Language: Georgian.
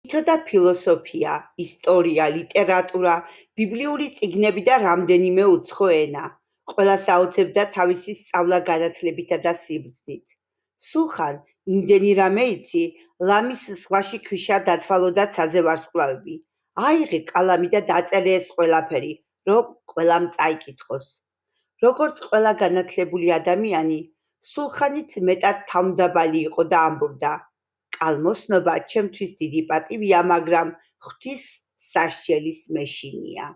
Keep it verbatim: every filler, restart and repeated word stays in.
იცოდა ფილოსოფია, ისტორია, ლიტერატურა, ბიბლიური წიგნები და რამდენიმე უცხო ენა. ყველას აოცებდა თავისი სწავლა-განათლებითა და სიბრძნით. სულხან, იმდენი რამე იცი, ლამის ზღვაში ქვიშა დათვალოდაც აზე ვარსკვლავები. აიღე კალამი და დაწერე ეს ყველაფერი, რომ ყველამ წაიკითხოს. როგორც ყველა განათლებული ადამიანი, სულხანიც მეტად თავმდაბალი იყო და ამბობდა: კალმოსნობა ჩემთვის დიდი პატივია, მაგრამ ღვთის სასჯელის მეშინია.